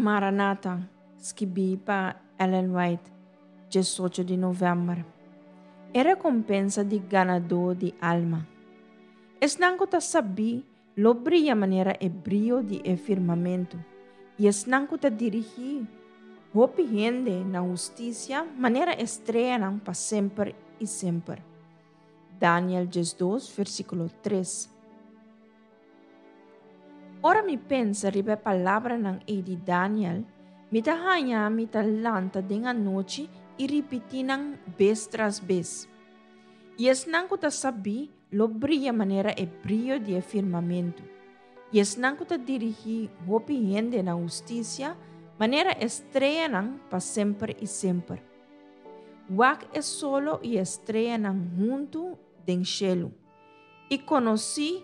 Maranata, skibí pa Ellen White, 18 di novèmber. E rekompensa di ganadó di alma. Esnan ku ta sabí lo bria manera e brio di e firmamentu, i esnan ku ta dirigí hopi hende na hustisia manera e streanan pa semper i semper. Daniel 12, versíkulo 3. Ora mi pensa riba e palabranan ei di Daniel, mi ta haña mi ta lanta den anochi i ripití nan bes tras bes. I esnan ku ta sabí lo bria manera e brio di e firmamentu, i esnan ku ta dirigí hopi hende na hustisia manera e streanan pa semper i semper. Wak e solo i e streanan huntu den shelu, i konosí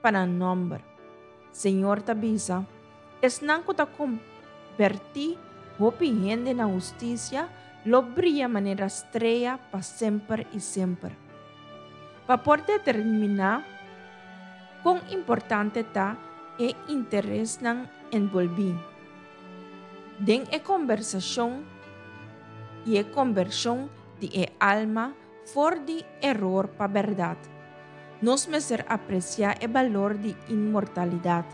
pa nan nòmber. Señor ta bisa, Esnan ku ta kombertí hopi hende na hustisia lo bria manera strea pa semper i semper. Pa por determiná kon importante ta e interesnan enbolbí den e kombersashon i e kombershon di e alma for di eror pa bèrdat, nos mester apresiá e balor di inmortalidat.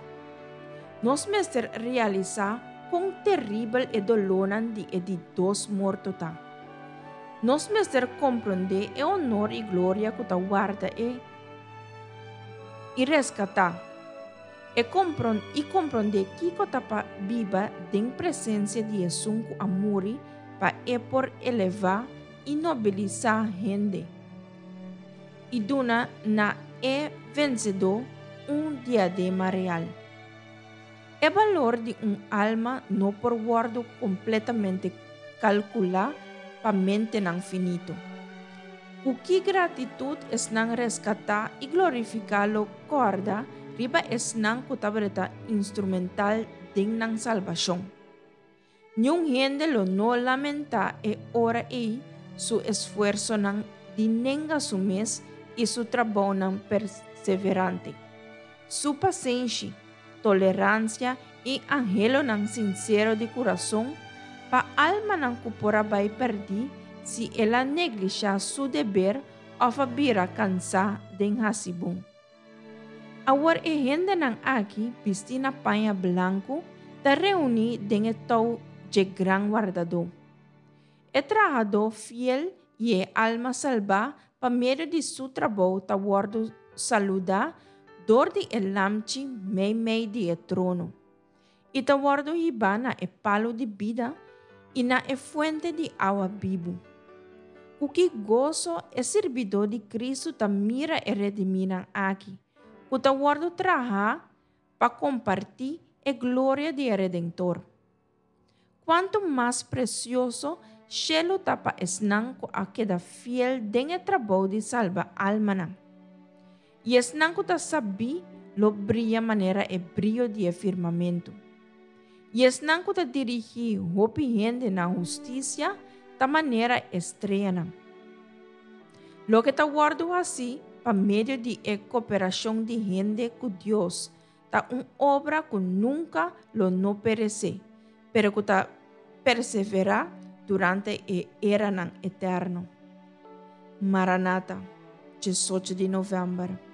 Nos mester realisá kon teribel e dolónan di e di dos morto ta. Nos mester komprondé e onor i gloria ku ta warda e i reskatá e i komprondé kiko ta pa biba den presensia di esun ku a muri pa e por elevá i nobilisá hende, i duna na e vensedó un diadema real. E balor di un alma no por wòrdu kompletamente kalkulá pa mentenan finito. Ku ki gratitut esnan reskatá i glorifiká lo kòrda riba esnan ku tabata instrumental den nan salbashon! Niun hende lo no lamentá e ora ei su esfuersonan di nenga su mes i su trabounan perseverante. Su pasenshi, toleransia i anhelonan sinsero di kurason pa almanan ku por a bai pèrdí si el a neglishá su deber òf a bira kansá den hasi bon. Awor e hendenan aki, bistí na paña blanku, ta reuní den e tou dje Gran Wardadó. E trahadó fiel i e alma salbá pa medio di su trabou ta wòrdu saludá dor di e Lamchi meimei di e trono, i ta wòrdu hibá na e palu di bida i na e fuente di awa bibu. Ku ki goso e sirbidó di Kristu ta mira e redimínan aki, ku ta wòrdu trahá pa kompartí e gloria di e Redentor! Kuantu mas presioso shelu ta pa esnan ku a keda fiel den e trabou di salba almanan! I esnan ku ta sabí lo bria manera e brio di e firmamentu. I esnan ku ta dirigí hopi hende na hustisia ta manera e streanan. Loke ta wòrdu hasí pa medio di e koperashon di hende ku Dios Ta un obra ku nunka lo no peresé, pero ku ta perseverá durante e eranan eterno. Maranata, 18 di novèmber.